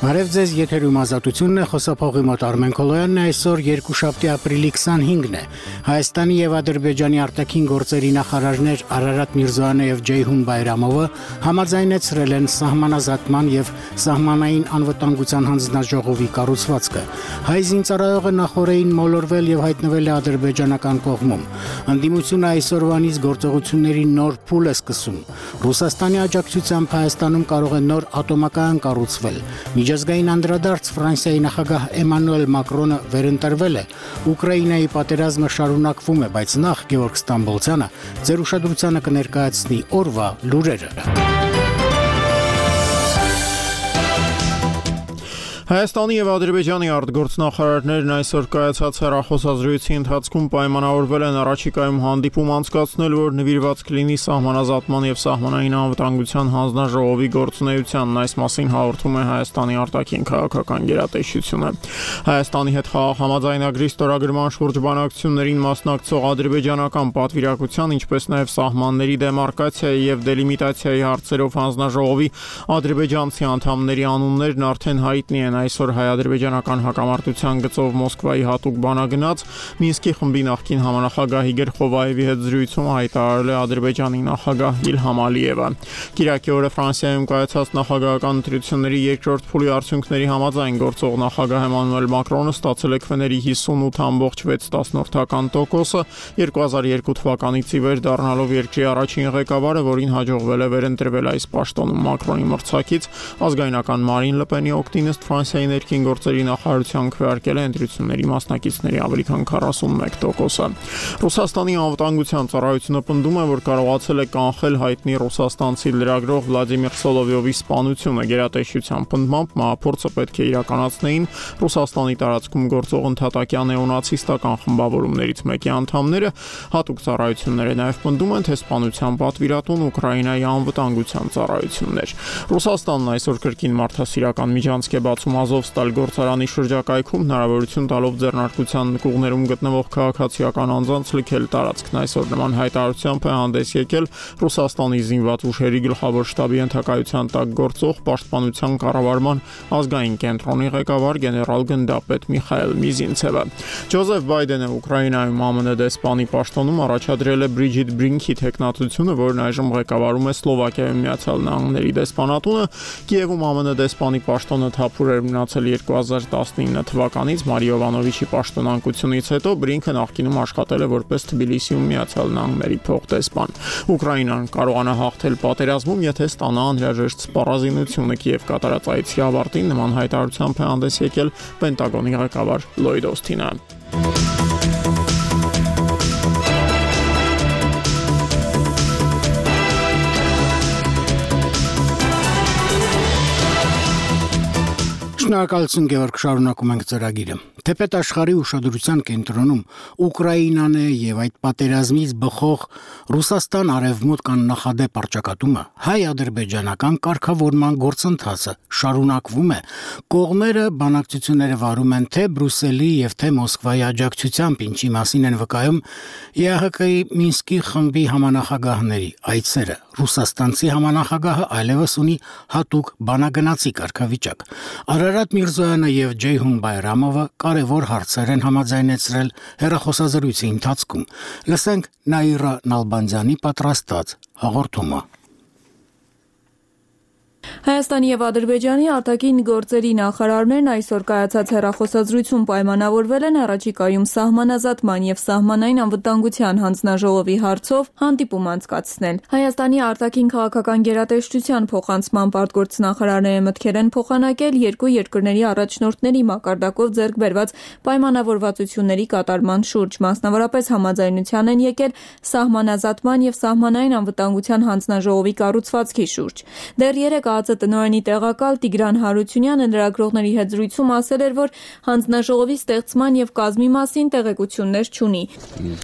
Բարև ձեզ, եթերում ազատությունն է, խոսափողի մոտ Արմեն Քոլոյանն է, այսօր երկուշաբթի ապրիլի 25-ն է։ Հայաստանի եւ Ադրբեջանի արտաքին գործերի նախարարներ Արարատ Միրզոյանը եւ Ջեյհուն Բայրամովը համաձայնեցրել են սահմանազատման եւ սահմանային անվտանգության հանձնաժողովի կառուցվածքը։ Հայ զինծառայողը նախորդին մոլորվել եւ հայտնվել է ադրբեջանական կողմում։ Ընդդիմությունը այսօրվանից գործողությունների նոր փուլ է սկսում։ Ռուսաստանի աջակցությամբ Հայաստանում կարող է նոր ատոմակայան կառուցվել։ Միջազգային անդրադարձ Ֆրանսիայի նախագահ Էմանուել Մակրոնը վերընտրվել է։ Ուկրաինայի պատերազմը շարունակվում է, բայց նախ Գևորգ Ստամբոլցյանը ձեր ուշադրությանը կներկայացնի օրվա լուրերը։ Հայաստանի եւ Ադրբեջանի արտգործնախարարներն այսօր կայացած հեռախոսազրույցի ընթացքում պայմանավորվել են առաջիկայում հանդիպում անցկացնել, որ նվիրված կլինի սահմանազատման եւ սահմանային անվտանգության հանձնաժողովի գործունեությանն։ Այս մասին հաղորդում է Հայաստանի արտաքին քաղաքական գերատեսչությունը։ Հայաստանի հետ խաղաղ համաձայնագրի ստորագրման շուրջ բանակցություններին մասնակցող ադրբեջանական պատվիրակության, ինչպես նաեւ սահմանների դեմարկացիայի եւ դելիմիտացիայի հարցերով հանձնաժողովի ադրբեջանցի անդամների անուններն արդեն հայտնի են։ Այսօր հայ-ադրբեջանական հակամարտության գծով Մոսկվայի հատուկ բանագնաց Մինսկի խմբի նախկին համանախագահ Իգոր Խովայևի հետ զրույցում հայտարարել է Ադրբեջանի նախագահ Իլհամ Ալիևը։ Կիրակի օրը Ֆրանսիայում կայացած նախագահական ընտրությունների երկրորդ փուլի արդյունքների համաձայն գործող նախագահ Էմանուել Մակրոնը ստացել է քվեների 58.6%, 2002 թվականից ի վեր դառնալով երկրի առաջին ղեկավարը, որին հաջողվել է վերընտրվել այս պաշտոնում Մակրոնի մրցակից ազգայնական Մարին Լը Պենի օգտին ըստ Ֆրանսիայի ներքին գործերի նախարարության քվեարկել է ընտրությունների մասնակիցների ավելի քան 41%։ Ռուսաստանի անվտանգության ծառայությունը պնդում է, որ կարողացել է կանխել հայտնի ռուսաստանցի լրագրող Վլադիմիր Սոլովյովի սպանությունը։ Գերատեսչության պնդմամբ մահափորձը պետք է իրականացնեին Ռուսաստանի տարածքում գործող ընդհատակյան նեոնացիստական խմբավորումներից մեկի անդամները։ Հատուկ ծառայությունները նաև պնդում են, թե սպանության պատվիրատուն Ուկրաինայի անվտանգության ծառայությունն էր։ Ռուսաստանն այսօր կրկին մարդասիրական միջանցք է բացում Ազովստալ գործարանի շրջակայքում, հնարավորություն տալով ձեռնարկության նկուղներում գտնվող քաղաքացիական անձանց լքել տարածքն։ Այսօր նման հայտարարությամբ է հանդես եկել Ռուսաստանի զինված ուժերի գլխավոր շտաբի ենթակայության տակ գործող պաշտպանության կառավարման ազգային կենտրոնի ղեկավար գեներալ գնդապետ Միխայել Միզինցևը։ Ջոզեֆ Բայդենը Ուկրաինայում ԱՄՆ դեսպանի պաշտոնում առաջադրել է Բրիջիտ Բրինքի տեխնատությունը, որն այժմ ղեկավարում է Սլովակիայում Միացյալ Նահանգների դեսպանատունը։ Կիևում ԱՄՆ դեսպանի պաշտոնը թափուր էր մնացել 2019 թվականից Մարի Յովանովիչի պաշտոնանկությունից հետո Բրինքը նախկինում աշխատել է որպես Թբիլիսիում Միացյալ Նահանգների փոխդեսպան։ Ուկրաինան կարողանա հաղթել պատերազմում, եթե ստանա անհրաժեշտ սպառազինությունը։ Կիև կատարած այցի ավարտին նման հայտարարությամբ է հանդես եկել Պենտագոնի ղեկավար Լոյդ Օսթինը։ Շնորհակալություն Գևորգ, շարունակում ենք ծրագիրը։ Թեպետ աշխարհի ուշադրության կենտրոնում Ուկրաինան է եւ այդ պատերազմից բխող Ռուսաստան արևմուտք աննախադեպ առճակատումը, հայ-ադրբեջանական կարգավորման գործընթացը շարունակվում է։ Կողմերը բանակցությունները վարում են թե Բրյուսելի եւ թե Մոսկվայի աջակցությամբ, ինչի մասին են վկայում ԵԱՀԿ-ի Մինսկի խմբի համանախագահների այցերը։ Ռուսաստանցի համանախագահը այլևս ունի հատուկ բանագնացի կարգավիճակ։ Արարատ Միրզոյանը եւ Ջեյհուն Բայրամովը կարևոր հարցեր են համաձայնեցրել հեռախոսազրույցի ընթացքում։ Լսենք Նաիրա Նալբանդյանի պատրաստած հաղորդումը։ Հայաստանի եւ Ադրբեջանի արտաքին գործերի նախարարներն այսօր կայացած հեռախոսազրույցում պայմանավորվել են առաջիկայում սահմանազատման եւ սահմանային անվտանգության հանձնաժողովի հարցով հանդիպում անցկացնել։ Հայաստանի արտաքին քաղաքական գերատեսչության փոխանցման արտգործնախարարները մտքեր են փոխանակել երկու երկրների առաջնորդների մակարդակով ձեռք բերված պայմանավորվածությունների կատարման շուրջ, մասնավորապես համաձայնության են եկել սահմանազատման եւ սահմանային անվտանգության հանձնաժողովի կառուցվածքի շուրջ։ Դեռ երեկ ԱԾՏ-տնօրենի տեղակալ Տիգրան Հարությունյանը լրագրողների հետ զրույցում ասել էր, որ հանձնաժողովի ստեղծման եւ կազմի մասին տեղեկություններ չունի։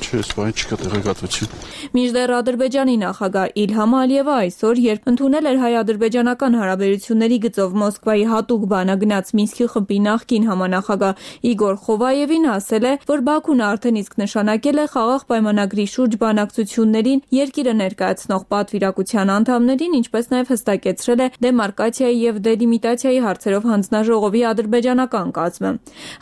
Չէ, սպայն չկա տեղեկատվություն։ Մինչդեռ Ադրբեջանի նախագահ Իլհամ Ալիևը այսօր, երբ ընդունել էր հայ-ադրբեջանական հարաբերությունների գծով Մոսկվայի հատուկ բանագնաց Մինսկի խմբի նախկին համանախագահ Իգոր Խովայևին, ասել է, որ Բաքուն արդեն իսկ նշանակել է խաղաղ պայմանագրի շուրջ բանակցություններին երկիրը ներկայացնող պատվիրակության անդամներին, ինչպես նաեւ հստակեցրել է դեմարկացիայի եւ դելիմիտացիայի հարցերով հանձնաժողովի ադրբեջանական կազմը։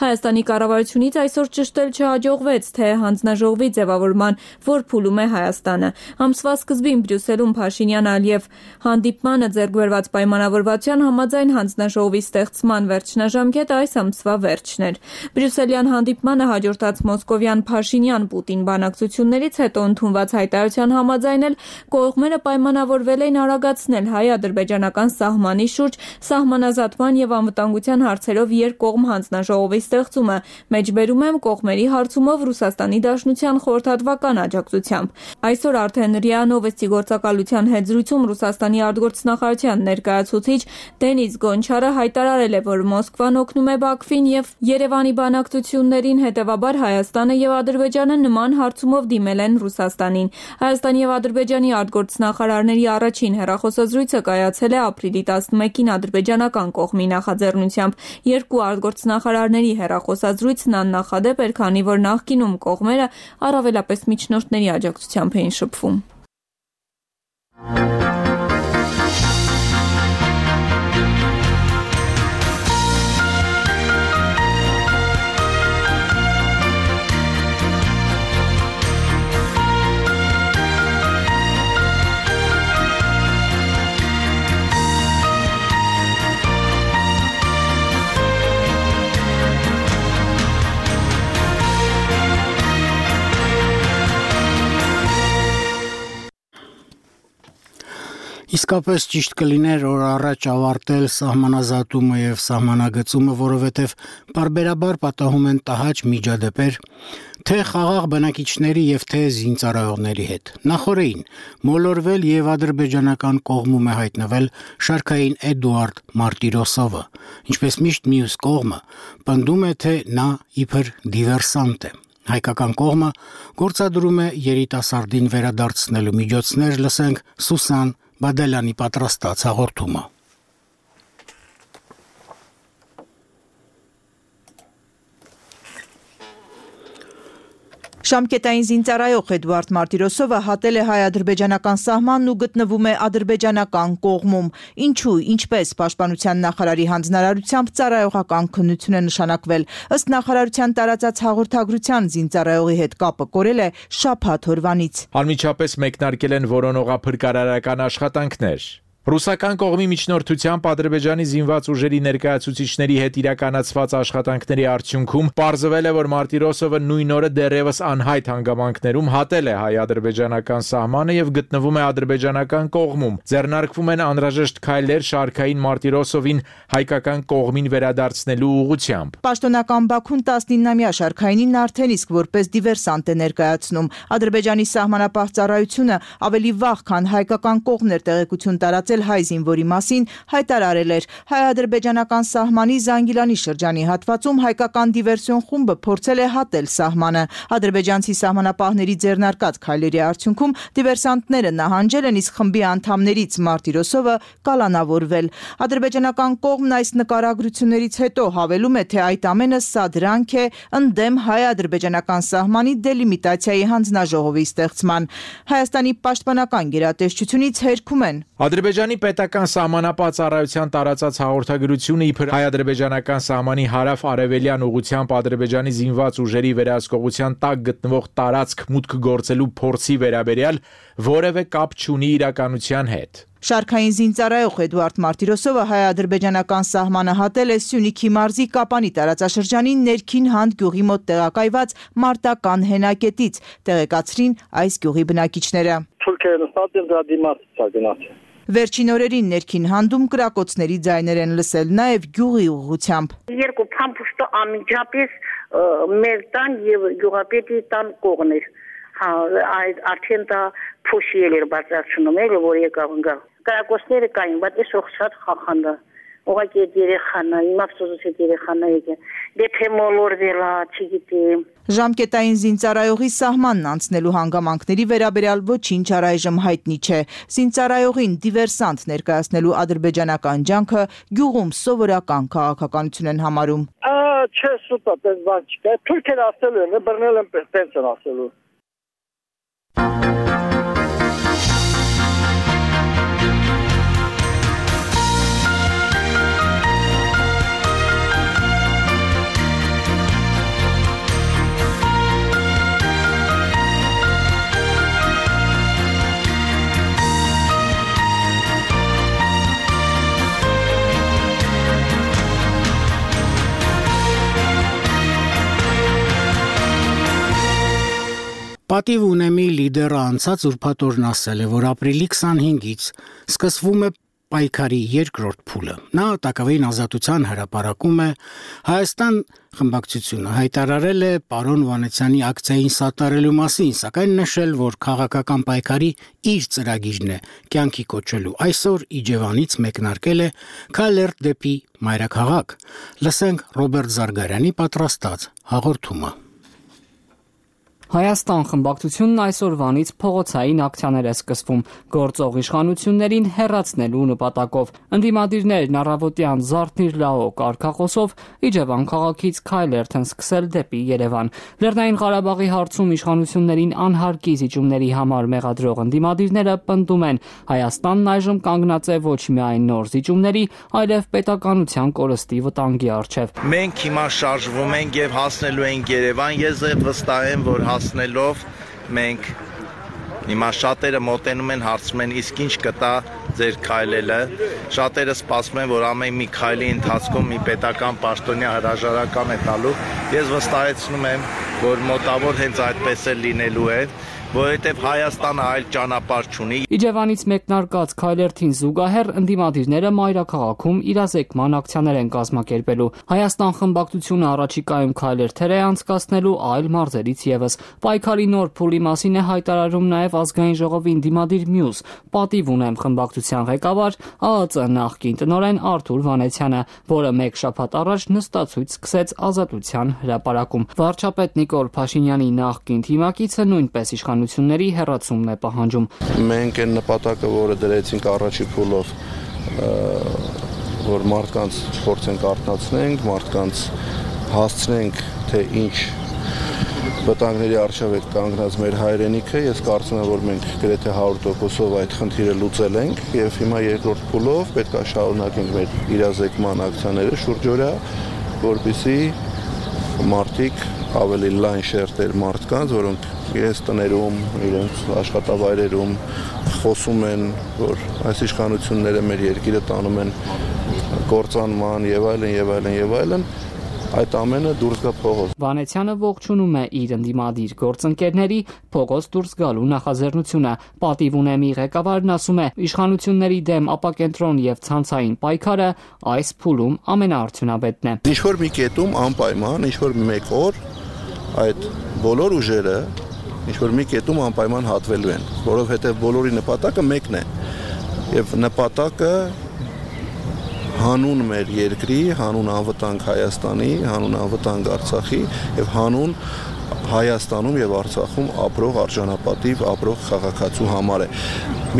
Հայաստանի կառավարությունից այսօր ճշտել չհաջողվեց, թե հանձնաժողովի ձևավորման որ փուլում է Հայաստանը։ Ամսվա սկզբին Բրյուսելում Փաշինյան-Ալիև հանդիպմանը ձեռք բերված պայմանավորվածության համաձայն հանձնաժողովի ստեղծման վերջնաժամկետը այս ամսվա վերջն էր։ Բրյուսելյան հանդիպմանը հաջորդած մոսկովյան Փաշինյան-Պուտին բանակցություններից հետո ընդունված հայտարարության համաձայն էլ կողմերը պայմանավորվել էին արագացնել հայ-ադրբեջանական սահմանի շուրջ սահմանազատման եւ անվտանգության հարցերով երկկողմ հանձնաժողովի ստեղծումը, մեջբերում եմ կողմերի հարցումով Ռուսաստանի Դաշնության խորհրդատվական աջակցությամբ։ Այսօր արդեն ՌԻԱ Նովոստի գործակալության հետ զրույցում Ռուսաստանի արտգործնախարարության ներկայացուցիչ Դենիս Գոնչարը հայտարարել է, որ Մոսկվան օգնում է Բաքվին եւ Երևանի բանակցություններին, հետեւաբար Հայաստանը եւ Ադրբեջանը նման հարցումով դիմել են Ռուսաստանին։ Հայաստանի եւ Ադրբեջանի արտգործնախարարների առաջին հեռախոսազրույցը կայացել է ապրիլի 11-ին ադրբեջանական կողմի նախաձեռնությամբ։ Երկու արտգործնախարարների հեռախոսազրույցն աննախադեպ էր, քանի որ նախկինում կողմերը առավելապես միջնորդների աջակցությամբ էին շփվում։ Իսկապես ճիշտ կլիներ օր առաջ ավարտել սահմանազատումը եւ սահմանագծումը, որովհետեւ բարբերաբար պատահում են տհաճ միջադեպեր, թե խաղաղ բնակիչների եւ թե զինծառայողների հետ։ Նախորդին մոլորվել եւ ադրբեջանական կողմում է հայտնվել շարքային Էդուարդ Մարտիրոսովը, ինչպես միշտ մյուս կողմը պնդում է, թե նա իբր դիվերսանտ է։ Հայկական կողմը գործադրում է երիտասարդին վերադարձնելու միջոցներ, լսենք Սուսան Բադելյանի պատրաստած հաղորդումը։ Ժամկետային զինծառայող Էդուարդ Մարտիրոսովը հատել է հայ-ադրբեջանական սահմանն ու գտնվում է ադրբեջանական կողմում։ Ինչու, ինչպես պաշտպանության նախարարի հանձնարարությամբ ծառայողական քննություն է նշանակվել։ Ըստ նախարարության տարածած հաղորդագրության զինծառայողի հետ կապը կորել է շաբաթ օրվանից։ Անմիջապես մեկնարկել են որոնողափրկարարական աշխատանքներ։ Ռուսական կողմի միջնորդությամբ Ադրբեջանի զինված ուժերի ներկայացուցիչների հետ իրականացված աշխատանքների արդյունքում պարզվել է, որ Մարտիրոսովը նույն օրը դեռևս անհայտ հանգամանքներում հատել է հայ-ադրբեջանական սահմանը եւ գտնվում է ադրբեջանական կողմում։ Ձեռնարկվում են անհրաժեշտ քայլեր շարքային Մարտիրոսովին հայկական կողմին վերադարձնելու ուղղությամբ։ Պաշտոնական Բաքուն 19-ամյա շարքայինին արդեն իսկ որպես դիվերսանտ է ներկայացնում։ Ադրբեջանի սահմանապահ ծառայությունը ավելի վաղ, քան հայկական կողմն էր տեղեկություն տարածել հայ զինվորի մասին, հայտարարել էր հայ-ադրբեջանական սահմանի Զանգիլանի շրջանի հատվածում հայկական դիվերսիոն խումբը փորձել է հատել սահմանը։ Ադրբեջանցի սահմանապահների ձեռնարկած քայլերի արդյունքում դիվերսանտները նահանջել են, իսկ խմբի անդամներից Մարտիրոսովը կալանավորվել։ Ադրբեջանական կողմն այս նկարագրություններից հետո հավելում է, թե այդ ամենը սա դրանք է ընդդեմ հայ-ադրբեջանական սահմանի դելիմիտացիայի հանձնաժողովի ստեղծման։ Հայաստանի պաշտպանական գերատեսչությունից հերքում են. Ադրբեջանի պետական սահմանապահ ծառայության տարածած հաղորդագրությունը իբր հայ-ադրբեջանական սահմանի հարավ-արևելյան ուղղությամբ Ադրբեջանի զինված ուժերի վերահսկողության տակ գտնվող տարածք մուտք գործելու փորձի վերաբերյալ որևէ կապ չունի իրականության հետ։ Շարքային զինծառայող Էդուարդ Մարտիրոսովը հայ-ադրբեջանական սահմանը հատել է Սյունիքի մարզի Կապանի տարածաշրջանի ներքին Հանդ գյուղի մոտ տեղակայված մարտական հենակետից, տեղեկացրին այս գյուղի բնակիչները։ Վերջին օրերին ներքին Հանդում կրակոցների ձայներ են լսել, նաև գյուղի ուղղությամբ։ Երկու փամփուշտը անմիջապես մեր տան եւ գյուղապետի տան կողմն էր։ Արդեն դա փոշիել էր բարձրացնում էր, որ եկավ գա։ Կրակոցները կային, բայց ես շատ խախանდა։ Ուղղակի երեխան, իմ ափսոսի երեխան եկե։ Դեպի մոլորվելա, չգիտեմ։ Ժամկետային զինծառայողի սահմանն անցնելու հանգամանքների վերաբերյալ ոչինչ առայժմ հայտնի չէ։ Զինծառայողին դիվերսանտ ներկայացնելու ադրբեջանական ջանքը գյուղում սովորական քաղաքականություն են համարում։ Չէ, սուտա, պես բան չկա։ Թուրքեր ասելու են, բռնել են պես են ասելու։ Պատիվ ունեմի լիդերը անցած ուրբաթ օրն ասել է, որ ապրիլի 25-ից սկսվում է պայքարի երկրորդ փուլը։ Նա Տակավին ազատության հրապարակում է Հայաստան խմբակցությունը հայտարարել է պարոն Վանեցյանի ակցիային սատարելու մասին, սակայն նշել, որ քաղաքական պայքարի իր ծրագիրն է կյանքի կոչելու։ Այսօր Իջևանից մեկնարկել է քայլերթ դեպի մայրաքաղաք։ Լսենք Ռոբերտ Զարգարյանի պատրաստած հաղորդումը։ Հայաստան խմբակցությունն այսօրվանից փողոցային ակցիաներ է սկսվում գործող իշխանություններին հեռացնելու նպատակով։ Ընդդիմադիրներն առավոտյան «Զարթնիր լաո» կարգախոսով Իջևան քաղաքից քայլերթ են սկսել դեպի Երևան։ Լեռնային Ղարաբաղի հարցում իշխանություններին անհարկի զիջումների համար մեղադրող ընդդիմադիրները պնդում են, Հայաստանն այժմ կանգնած է ոչ միայն նոր զիջումների, այլև պետականության կորստի վտանգի առջև։ Մենք հիմա շարժվում ենք եւ հասնելու ենք Երևան։ Ես վստահ եմ, որ հասնելով մենք հիմա շատերը մոտենում են հարցում են իսկ ինչ կտա ձեր քայլելը, շատերը սպասում են, որ ամեն մի քայլի ընթացքում մի պետական պաշտոնյա հրաժարական է տալու։ Ես վստահեցնում եմ, որ մոտավոր հենց այդպես է լինելու է, որովհետև Հայաստանը այլ ճանապարհ չունի։ Իջևանից մեկնարկած քայլերթին զուգահեռ ընդդիմադիրները մայրաքաղաքում իրազեկման ակցիաներ են կազմակերպելու։ Հայաստան խմբակցությունը առաջիկայում քայլերթեր է անցկացնելու այլ մարզերից եւս։ Պայքարի նոր փուլի մասին է հայտարարում նաեւ ազգային ժողովի ընդդիմադիր մյուս պատիվ ունեմ խմբակցության ղեկավար ԱԱԾ նախկին տնօրեն Արթուր Վանեցյանը, որը մեկ շաբաթ առաջ նստացույց սկսեց Ազատության հրապարակում։ Վարչապետ Նիկոլ Փաշինյանի նախկին թիմակիցը նույնպես իշխանությունների հեռացումն է պահանջում։ Մենք այն նպատակը, որը դրեցինք առաջի փուլով, որ մարդկանց փորձենք արթնացնենք, մարդկանց հասցնենք, թե ինչ վտանգների առջև է կանգնած մեր հայրենիքը, ես կարծում եմ, որ մենք գրեթե 100%-ով այդ խնդիրը լուծել ենք եւ հիմա երկրորդ փուլով պետք է շարունակենք մեր իրազեկման ակցիաները շուրջօրյա, որպեսզի մարդիկ ավելի լայն շերտեր մարդկանց, որոնք իրենց տներում, իրենց աշխատավայրերում խոսում են, որ այս իշխանությունները մեր երկիրը տանում են կործանման եւ այլն, այդ ամենը դուրս գա փողոց։ Վանեցյանը ողջունում է իր ընդդիմադիր գործընկերների փողոց դուրս գալու նախաձեռնությունը։ Պատիվ ունեմի ղեկավարն ասում է, իշխանությունների դեմ ապակենտրոն եւ ցանցային պայքարը այս փուլում ամենաարդյունավետն է։ Ինչ-որ մի կետում անպայման, ինչ-որ մեկ օր այդ բոլոր ուժերը ինչ-որ մի կետում անպայման հատվելու են, որովհետեւ բոլորի նպատակը մեկն է։ Եվ նպատակը հանուն մեր երկրի, հանուն անվտանգ Հայաստանի, հանուն անվտանգ Արցախի եւ հանուն Հայաստանում եւ Արցախում ապրող արժանապատիվ ապրող քաղաքացու համար է։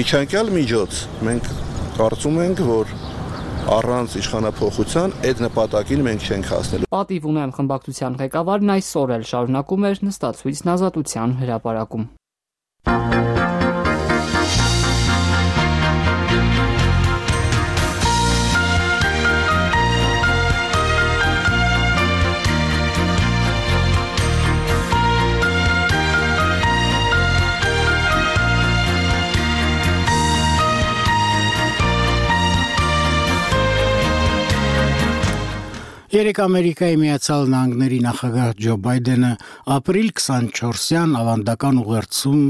Միջանկյալ միջոց մենք կարծում ենք, որ առանց իշխանափոխության այդ նպատակին մենք չենք հասնելու։ Պատիվ ունեմ խմբակցության ղեկավարն այսօր էլ շարունակում էր նստացույցն Ազատության հրապարակում։ Երեկ Ամերիկայի Միացյալ Նահանգների նախագահ Ջո Բայդենը ապրիլ 24-յան ավանդական ուղերձում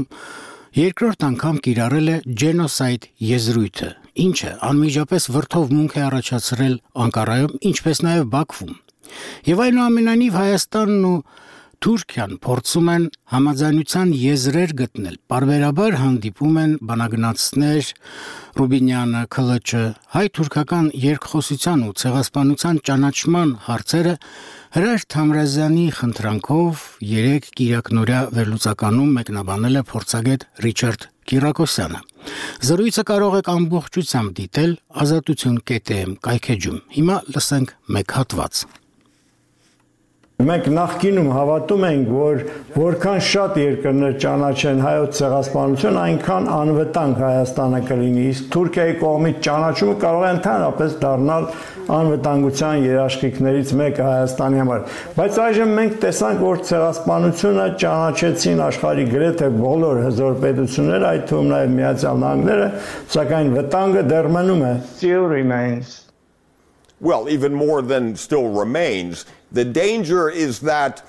երկրորդ անգամ կիրառել է ջենոսայդ եզրույթը, ինչը անմիջապես վրդովմունք է առաջացրել Անկարայում, ինչպես նաև Բաքվում։ Եվ այնուամենայնիվ Հայաստանն ու Թուրքիան փորձում են համաձայնության եզրեր գտնել։ Պարբերաբար հանդիպում են բանագնացներ Ռուբինյանը, Քլչը, հայ-թուրքական երկխոսության ու ցեղասպանության ճանաչման հարցերը Հրաշ Թամրազյանի խնդրանքով 3 կիրակնօրյա վերլուծականում մեկնաբանել է փորձագետ Ռիչարդ Կիրակոսյանը։ Զրույցը կարող եք ամբողջությամբ դիտել azatutun.am կայքեջում։ Հիմա լսենք մեկ հատված։ Մենք նախկինում հավատում ենք, որ որքան շատ երկրներ ճանաչեն հայոց ցեղասպանություն, այնքան անվտանգ Հայաստանը կլինի, իսկ Թուրքիայի կողմից ճանաչումը կարող է ընդհանրապես դառնալ անվտանգության երաշխիքներից մեկը Հայաստանի համար։ Բայց այժմ մենք տեսանք, որ ցեղասպանությունը ճանաչեցին աշխարհի գրեթե բոլոր հզոր պետությունները, այդ թվում նաև Միացյալ Նահանգները, սակայն վտանգը դեռ մնում է։ Still remains. Well, even more than still remains. The danger is that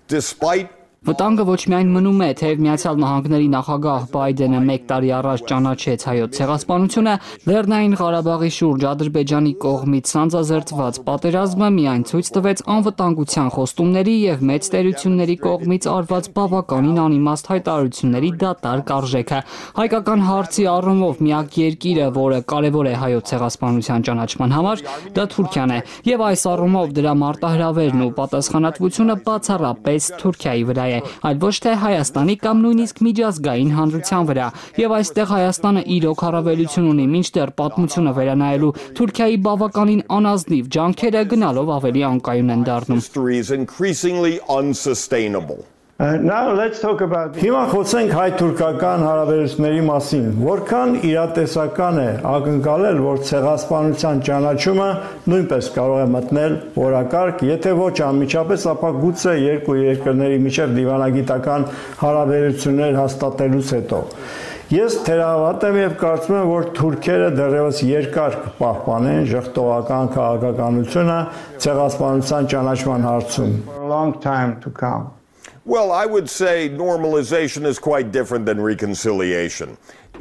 despite Վտանգը ոչ միայն մնում է, թեև Միացյալ Նահանգների նախագահ Բայդենը 1 տարի առաջ ճանաչեց հայոց ցեղասպանությունը, Լեռնային Ղարաբաղի շուրջ Ադրբեջանի կողմից սանձազերծված պատերազմը միայն ցույց տվեց անվտանգության խոստումների եւ մեծ տերությունների կողմից արված բավականին անիմաստ հայտարարությունների դատարկ արժեքը։ Հայկական հարցի առումով միակ երկիրը, որը կարևոր է հայոց ցեղասպանության ճանաչման համար, դա Թուրքիան է, եւ այս առումով դրա մարտահրավերն ու պատասխանատվությունը բացառապես Թուրքիայի վրա է, այլ ոչ թե Հայաստանի կամ նույնիսկ միջազգային հանրության վրա։ Եվ այստեղ Հայաստանը իրոք առավելություն ունի, մինչդեռ պատմությունը վերանայելու Թուրքիայի բավականին անազնիվ ջանքերը գնալով ավելի անկայուն են դառնում։ Հիմա խոսենք հայ-թուրքական հարաբերությունների մասին, որքան իրատեսական է ակնկալել, որ ցեղասպանության ճանաչումը նույնպես կարող է մտնել օրակարգ, եթե ոչ անմիջապես, ապա գուցե երկու երկրների միջև դիվանագիտական հարաբերություններ հաստատելուց հետո։ Ես թերահավատ եմ եւ կարծում եմ, որ թուրքերը դեռևս երկար կպահպանեն ժխտողական քաղաքականությունը ցեղասպանության ճանաչման հարցում։ Well, I would say normalization is quite different than reconciliation.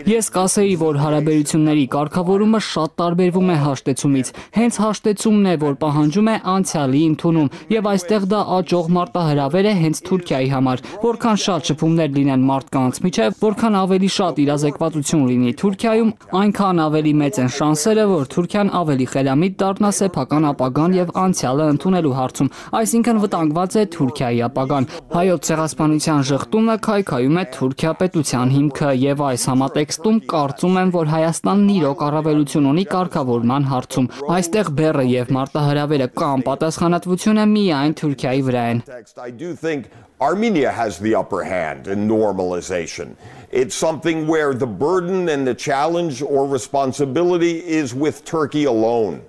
Ես կասեի, որ հարաբերությունների կարգավորումը շատ տարբերվում է հաշտեցումից։ Հենց հաշտեցումն է, որ պահանջում է անցյալի ընդունում, եւ այստեղ դա աճող մարտահրավեր է հենց Թուրքիայի համար։ Որքան շատ շփումներ լինեն մարդկանց միջև, որքան ավելի շատ իրազեկվածություն լինի Թուրքիայում, այնքան ավելի մեծ են շանսերը, որ Թուրքիան ավելի խելամիտ դառնա սեփական ապագան եւ անցյալը ընդունելու հարցում, այսինքն վտանգված է Թուրքիայի ապագան։ Հայոց ցեղասպանության ժխտումը քայքայում է Թուրքիա պետության հիմքը եւ այս համատեքստում կարծում եմ, որ Հայաստանն իրոք առավելություն ունի կարգավորման հարցում։ Այստեղ բեռը եւ մարտահրավերը կամ պատասխանատվությունը միայն Թուրքիայի վրա են։ Armenia has the upper hand in normalization. It's something where the burden and the challenge or responsibility is with Turkey alone.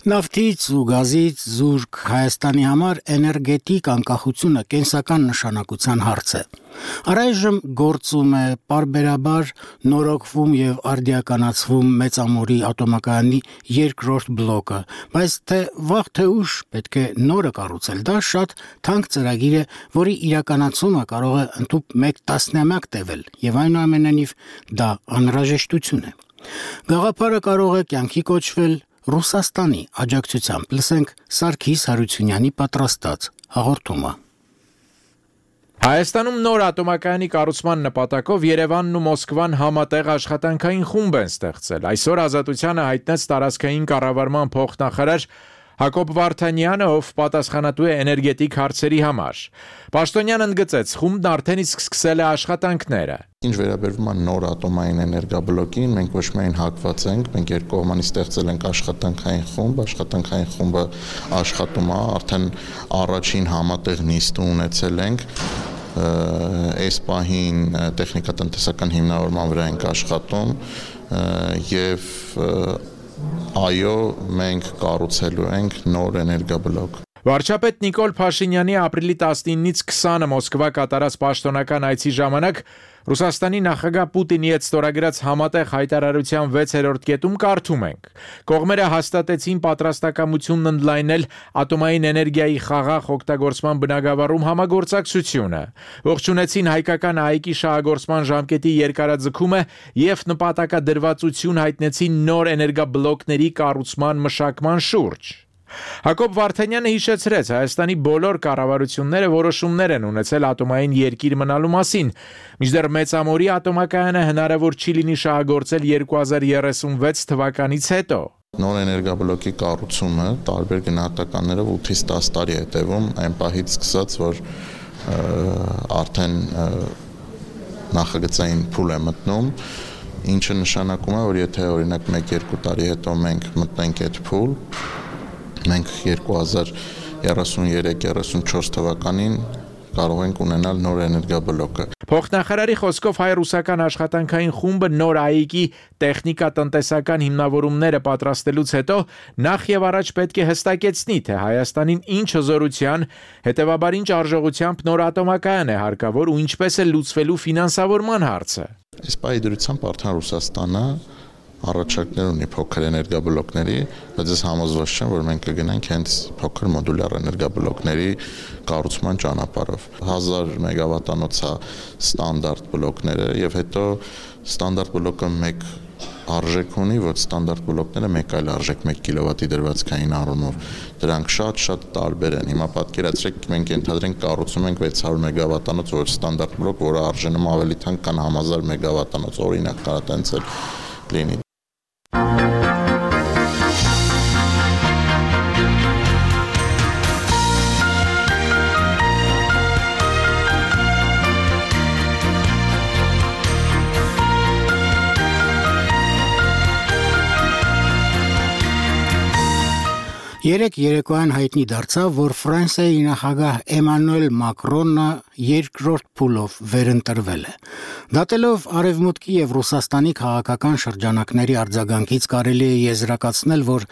Նավթից ու գազից զուրկ Հայաստանի համար էներգետիկ անկախությունը կենսական նշանակության հարց է։ Առայժմ գործում է պարբերաբար նորոգվում եւ արդիականացվում Մեծամորի ատոմակայանի երկրորդ բլոկը, բայց թե վաղ թե ուշ պետք է նորը կառուցել։ Դա շատ թանկ ծրագիր է, որի իրականացումը կարող է ընդհանուր 1 տասնամյակ տևել, եւ այնուամենայնիվ դա անհրաժեշտություն է։ Գաղափարը կարող է կյանքի կոչվել Ռուսաստանի աջակցությամբ։ Լսենք Սարգիս Հարությունյանի պատրաստած հաղորդումը։ Հայաստանում նոր ատոմակայանի կառուցման նպատակով Երևանն ու Մոսկվան համատեղ աշխատանքային խումբ են ստեղծել։ Այսօր Ազատությանը հայտնեց տարածքային կառավարման փոխնախարար Հակոբ Վարդանյանը, ով պատասխանատու է էներգետիկ հարցերի համար։ Պաշտոնյանն ընդգծեց, խումբն արդեն իսկ սկսել է աշխատանքները։ Ինչ վերաբերվում է նոր ատոմային էներգաբլոկին, մենք ոչ միայն հակված ենք, մենք երկկողմանի ստեղծել ենք աշխատանքային խումբը աշխատում է, արդեն առաջին համատեղ նիստը ունեցել ենք, այս պահին տեխնիկատնտեսական հիմնավորման վրա ենք աշխատում եւ այո, մենք կառուցելու ենք նոր էներգաբլոկ։ Վարչապետ Նիկոլ Փաշինյանի ապրիլի 19-ից 20-ը Մոսկվա կատարած պաշտոնական այցի ժամանակ Ռուսաստանի նախագահ Պուտինի հետ ստորագրած համատեղ հայտարարության 6-րդ կետում կարդում ենք. Կողմերը հաստատեցին պատրաստակամությունն ընդլայնել ատոմային էներգիայի խաղաղ օգտագործման բնագավառում համագործակցությունը, ողջունեցին հայկական ԱԻԿ-ի շահագործման ժամկետի երկարաձգումը եւ նպատակադրվածություն հայտնեցին նոր էներգաբլոկների կառուցման մշակման շուրջ։ Հակոբ Վարդանյանը հիշեցրեց, Հայաստանի բոլոր կառավարությունները որոշումներ են ունեցել ատոմային երկիր մնալու մասին, մինչդեռ Մեծամորի ատոմակայանը հնարավոր չի լինի շահագործել 2036 թվականից հետո։ Նոր էներգաբլոկի կառուցումը տարբեր գնահատականներով 8-ից 10 տարի է տևում, այն պահից սկսած, որ արդեն նախագծային փուլ է մտնում, ինչը նշանակում է, որ եթե օրինակ 1-2 տարի հետո մենք մտնենք այդ փուլ, մենք 2033-34 թվականին կարող ենք ունենալ նոր էներգաբլոկը։ Փոխնախարարի խոսքով հայ-ռուսական աշխատանքային խումբը նոր ԱԻԿ-ի տեխնիկա-տնտեսական հիմնավորումները պատրաստելուց հետո նախ եւ առաջ պետք է հստակեցնի, թե Հայաստանին ինչ հզորության, հետեւաբար ինչ արժողությամբ նոր ատոմակայան է հարկավոր ու ինչպես է լուծվելու ֆինանսավորման հարցը։ Այս պայդրությամբ արդեն Ռուսաստանը առաջարկներ ունի փոքր էներգաբլոկների, բայց ես համոզված չեմ, որ մենք կգնանք հենց փոքր մոդուլյար էներգաբլոկների կառուցման ճանապարհով։ 1000 մեգավատանոց է ստանդարտ բլոկները եւ հետո ստանդարտ բլոկը մեկ արժեք ունի, որ ստանդարտ բլոկները մեկ այլ արժեք 1 կիլովատի դրվածքային առումով։ Դրանք շատ տարբեր են։ Հիմա պատկերացրեք, մենք ենթադրենք կառուցում ենք 600 մեգավատանոց որ ստանդարտ բլոկ, որը արժենում ավելի թանկ կան 1000 մեգավատանոց, օրինակ կարա տենց էլ լինի։ Երեկ երեկոյան հայտնի դարձավ, որ Ֆրանսիայի նախագահ Էմանուել Մակրոնը երկրորդ փուլով վերընտրվել է։ Դատելով Արևմուտքի եւ Ռուսաստանի քաղաքական շրջանակների արձագանքից կարելի է եզրակացնել, որ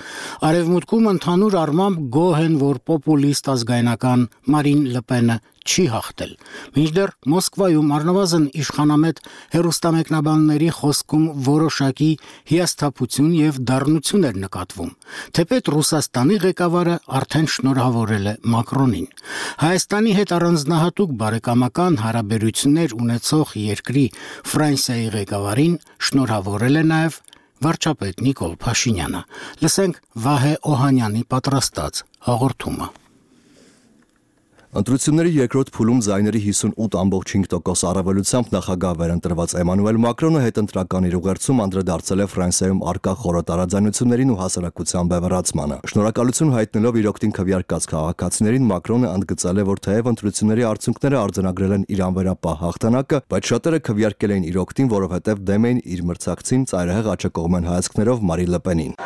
Արևմուտքում ընդհանուր առմամբ գոհ են, որ պոպուլիստ ազգայնական Մարին Լը Պենը չի հաղթել։ Մինչդեռ Մոսկվայում առնվազն իշխանամետ հեռուստամեկնաբանների խոսքում որոշակի հիասթափություն եւ դառնություն էր նկատվում, թեպետ Ռուսաստանի ղեկավարը արդեն շնորհավորել է Մակրոնին։ Հայաստանի հետ առանձնահատուկ բարեկամական հարաբերություններ ունեցող երկրի Ֆրանսիայի ղեկավարին շնորհավորել է նաեւ վարչապետ Նիկոլ Փաշինյանը։ Լսենք Վահե Օհանյանի պատրաստած հաղորդումը։ Ընտրությունների երկրորդ փուլում ձայների 58.5% առավելությամբ նախագահ վերընտրված Էմանուել Մակրոնը հետընտրական իր ուղերձում անդրադարձել է Ֆրանսիայում առկա խորը տարաձայնություններին ու հասարակության բևեռացմանը։ Շնորհակալություն հայտնելով իր օգտին քվեարկած քաղաքացիներին Մակրոնը ընդգծել է, որ թեև ընտրությունների արդյունքները արձանագրել են իր անվերապահ հաղթանակը, բայց շատերը քվեարկել էին իր օգտին, որովհետև դեմ էին իր մրցակցին ծայրահեղ աջակողմեն հայացքներով Մարին Լը Պենին։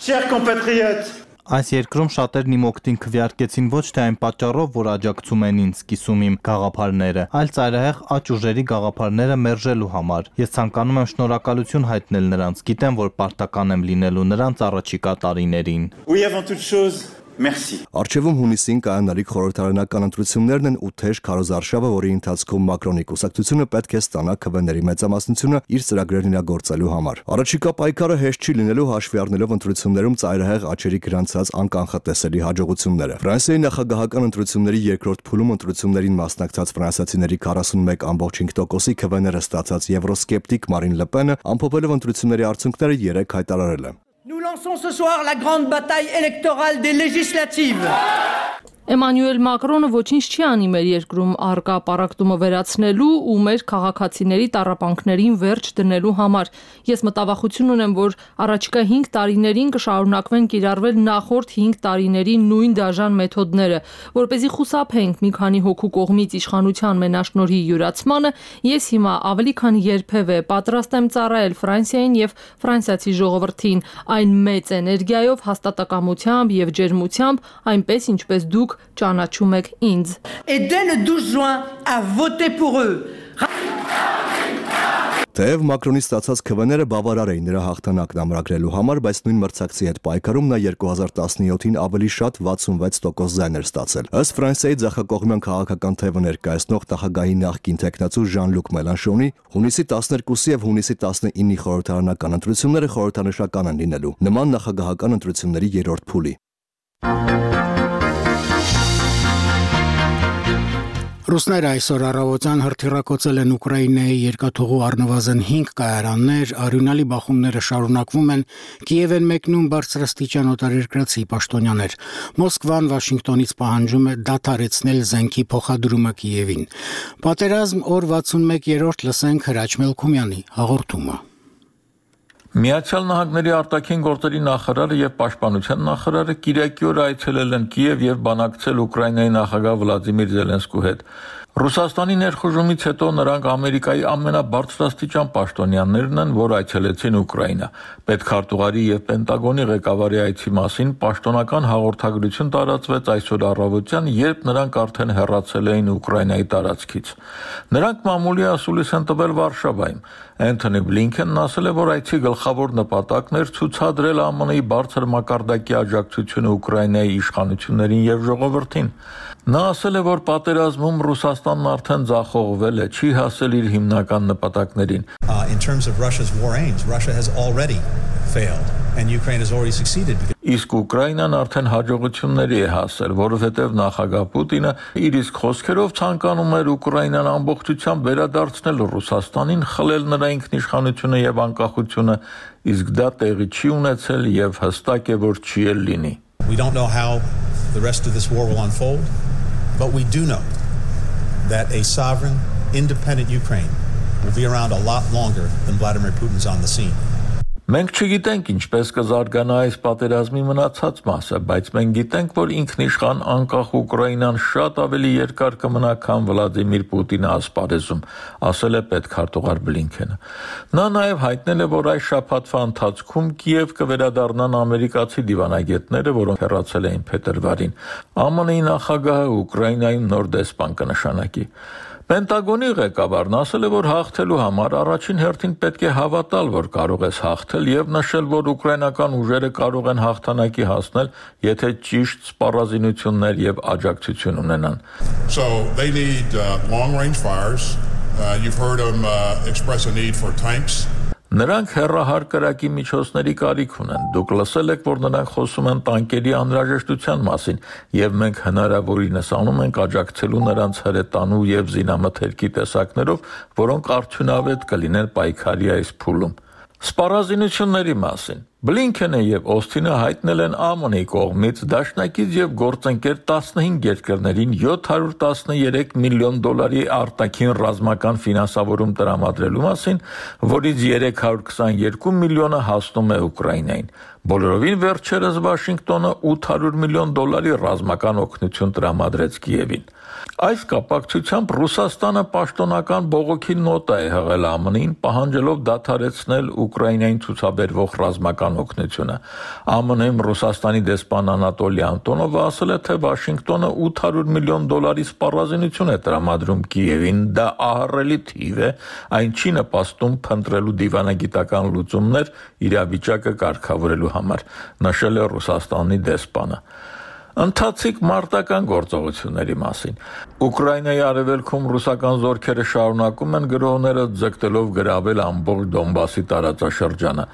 Chers compatriotes, այս երկրում շատերն իմ օգտին քվեարկեցին ոչ թե այն պատճառով, որ աջակցում են ինձ, կիսում իմ գաղափարները, այլ ծայրահեղ աճ ուժերի գաղափարները մերժելու համար։ Ես ցանկանում եմ շնորհակալություն հայտնել նրանց, գիտեմ, որ պարտական եմ լինելու նրանց առաջիկա տարիներին։ Oui, avant toute chose, merci. Արչևում հունիսին կայանալիք խորհրդարանական ընտրություններն են ու թեժ քարոզարշավը, որի ընթացքում Մակրոնի կուսակցությունը պետք է ստանա քվեների մեծամասնությունը իր ծրագրերն իրագործելու համար։ Առաջիկա պայքարը հեշտ չի լինելու հաշվի առնելով ընտրություններում ծայրահեղ աճերի գրանցած անկանխատեսելի հաջողությունները։ Ֆրանսիայի նախագահական ընտրությունների երկրորդ փուլում ընտրություններին մասնակցած ֆրանսիացիների 41.5%-ի քվեները ստացած եվրոսկեպտիկ Մարին Լը Պենը ամփոփելով ընտրությունների արդյունքները 3 հայտարարել է։ Nous lançons ce soir la grande bataille électorale des législatives. Էմանուել Մակրոնը ոչինչ չի անի մեր երկրում առկա պառակտումը վերացնելու ու մեր քաղաքացիների տառապանքներին վերջ դնելու համար։ Ես մտավախություն ունեմ, որ առաջիկա 5 տարիներին կշարունակվեն կիրառվել նախորդ 5 տարիների նույն դաժան մեթոդները, որպեսզի խուսափենք մի քանի հոգու կողմից իշխանության մենաշնորհի յուրացմանը, ես հիմա ավելի քան երբևէ պատրաստ եմ ծառայել Ֆրանսիային եւ ֆրանսիացի ժողովրդին այն մեծ էներգիայով, հաստատակամությամբ եւ ջերմությամբ, այնպես ինչպես դուք ճանաչում եք ինձ։ Et dès le 12 juin à voter pour eux. Թեև Մակրոնի ստացած քվեները բավարար էին նրա հաղթանակն ամրագրելու համար, բայց նույն մրցակցի հետ պայքարում նա 2017-ին ավելի շատ 66% ձայներ ստացել։ Ըստ Ֆրանսիայի ձախակողմյան քաղաքական թևը ներկայացնող նախագահի նախկին տեխնացու Ժան-Լուկ Մելանշոնի հունիսի 12-ի եւ հունիսի 19-ի խորհրդարանական ընտրությունները խորհրդանշական են լինելու նման նախագահական ընտրությունների երրորդ փուլի։ Ռուսները այսօր առավոտյան հրթիռակոծել են Ուկրաինայի երկաթուղու առնվազն 5 կայարաններ, արյունալի բախումները շարունակվում են, Կիև են մեկնում բարձրաստիճան օտարերկրացի պաշտոնյաներ։ Մոսկվան Վաշինգտոնից պահանջում է դադարեցնել զենքի փոխադրումը Կիևին։ Պատերազմ օր 61-րդ լսենք Հրաչ Մելքումյանի հաղորդումը։ Միացյալ Նահանգների արտաքին գործերի նախարարը եւ պաշտպանության նախարարը կիրակի օր այցելել են Կիև եւ բանակցել Ուկրաինայի նախագահ Վլադիմիր Զելենսկու հետ։ Ռուսաստանի ներխուժումից հետո նրանք Ամերիկայի ամենաբարձրաստիճան պաշտոնյաներն են, որ այցելեցին Ուկրաինա։ Պետքարտուղարի եւ Պենտագոնի ղեկավարի այցի մասին պաշտոնական հաղորդագրություն տարածվեց այսօր առավոտյան, երբ նրանք արդեն հեռացել էին Ուկրաինայի տարածքից։ Նրանք մամուլի ասուլիս են տվել Վարշավայում։ Անթոնի Բլինքենն ասել է, որ այցի գլխավոր նպատակն էր ցուցադրել ԱՄՆ-ի բարձր մակարդակի աջակցությունը Ուկրաինայի իշխանություններին եւ ժողովրդին։ Նա ասել է, որ պատերազմում Ռուսաստանն արդեն ձախողվել է, չի հասել իր հիմնական նպատակներին։ In terms of Russia's war aims, Russia has already failed and Ukraine has already succeeded. Իսկ Ուկրաինան արդեն հաջողությունների է հասել, որովհետև նախագահ Պուտինը իր իսկ խոսքերով ցանկանում էր Ուկրաինան ամբողջությամբ վերադարձնել Ռուսաստանին, խլել նրա ինքնիշխանությունը եւ անկախությունը, իսկ դա տեղի չի ունեցել եւ հստակ է, որ չի էլ լինի։ We don't know how the rest of this war will unfold, but we do know that a sovereign, independent Ukraine will be around a lot longer than Vladimir Putin's on the scene. Մենք չգիտենք ինչպես կզարգանա այս պատերազմի մնացած մասը, բայց մենք գիտենք, որ ինքնիշխան անկախ Ուկրաինան շատ ավելի երկար կմնա, քան Վլադիմիր Պուտինը ասպարեզում, ասել է պետքարտուղար Բլինքենը։ Նա նաև հայտնել է, որ այս շաբաթվա ընթացքում Կիև կվերադառնան ամերիկացի դիվանագետները, որոնք հեռացել էին փետրվարին։ ԱՄՆ-ի նախագահը Ուկրաինայում նոր դեսպան կնշանակի։ Պենտագոնի ղեկավարն ասել է, որ հաղթելու համար առաջին հերթին պետք է հավատալ, որ կարող ես հաղթել եւ նշել, որ ուկրաինական ուժերը կարող են հաղթանակի հասնել, եթե ճիշտ սպառազինություններ եւ աջակցություն ունենան։ So they need long-range fires. You've heard them express a need for tanks. Նրանք հեռահար կրակի միջոցների կարիք ունեն։ Դուք լսել եք, որ նրանք խոսում են տանկերի անհրաժեշտության մասին, եւ մենք հնարավորինս անում ենք աջակցելու նրանց հրետանու եւ զինամթերքի տեսակներով, որոնք արդյունավետ կլինեն պայքարի այս փուլում։ Սպառազինությունների մասին Բլինքենը եւ Օսթինը հայտնել են ԱՄՆ-ի կողմից դաշնակից եւ գործընկեր 15 երկրներին $713 միլիոն արտաքին ռազմական ֆինանսավորում տրամադրելու մասին, որից $322 միլիոնը հասնում է Ուկրաինային։ Բոլորովին վերջերս Վաշինգտոնը $800 միլիոն ռազմական օգնություն տրամադրեց Կիևին։ Այս կապակցությամբ Ռուսաստանը պաշտոնական բողոքի նոտա է հղել ԱՄՆ-ին, պահանջելով դադարեցնել Ուկրաինային ցուցաբերվող ռազմական օգնությունը։ ԱՄՆ-ում Ռուսաստանի դեսպան Անատոլի Անտոնովը ասել է, թե Վաշինգտոնը $800 միլիոն սպառազինություն է տրամադրում Կիևին, դա ահռելի թիվ է, այն չի նպաստում փնտրելու դիվանագիտական լուծումներ իրավիճակը կարգավորելու համար, նշել է Ռուսաստանի դեսպանը։ Ընթացիկ մարտական գործողությունների մասին Ուկրաինայի արևելքում ռուսական զորքերը շարունակում են գրոհները ձգտելով գրավել ամբողջ Դոնբասի տարածաշրջանը։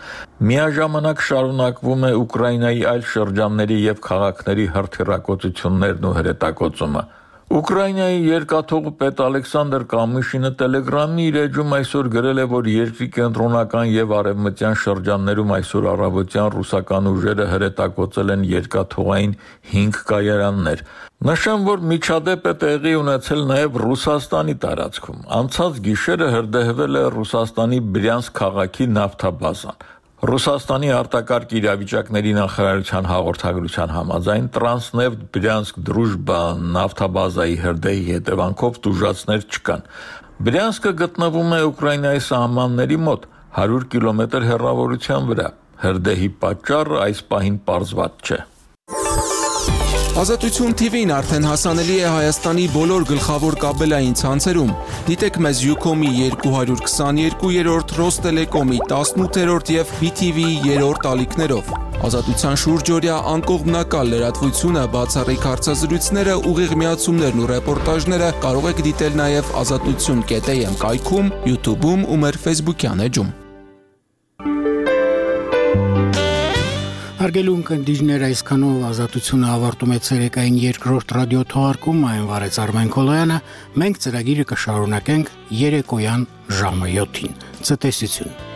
Միաժամանակ շարունակվում է Ուկրաինայի այլ շրջանների եւ քաղաքների հրթիռակոծություններն ու հրետակոծումը։ Ուկրաինայի երկաթող պետ Ալեքսանդր Կամիշինը Telegram-ի իր էջում այսօր գրել է, որ երկրի կենտրոնական եւ արևմտյան շրջաններում այսօր առավոտյան ռուսական ուժերը հրետակոծել են երկաթողային 5 կայարաններ։ Նշեմ, որ միջադեպ է տեղի ունեցել նաեւ Ռուսաստանի տարածքում։ Անցած գիշերը հրդեհվել է Ռուսաստանի Բրյանսկ քաղաքի նավթաբազան։ Ռուսաստանի արտակարգ իրավիճակների նախարարության հաղորդագրության համաձայն Տրանսնեֆտ Բրյանսկ Դրուժբա նավթաբազայի հրդեհի հետևանքով տուժածներ չկան։ Բրյանսկը գտնվում է Ուկրաինայի սահմանների մոտ 100 կիլոմետր հեռավորության վրա։ Հրդեհի պատճառը այս պահին պարզված չէ։ Ազատություն TV-ն արդեն հասանելի է Հայաստանի բոլոր գլխավոր կաբելային ցանցերում։ Դիտեք մեզ Ucom-ի 222-րդ, Ռոստելեկոմի 18-րդ եւ BTV-ի 3-րդ ալիքներով։ Ազատության շուրջօրյա անկողմնակալ լրատվությունը, բացառիկ հարցազրույցները, ուղիղ միացումներն ու ռեպորտաժները կարող եք դիտել նաեւ azatutsun.am կայքում, YouTube-ում ու մեր Facebook-յան էջում։ Հարգելի ունկնդիրներ, այսքանով ազատությունը ավարտում է ցերեկային երկրորդ ռադիո թողարկումը, այն վարեց Արմեն Քոլոյանը, մենք ծրագիրը կշարունակենք երեկոյան ժամը 7-ին։ Ցտեսություն։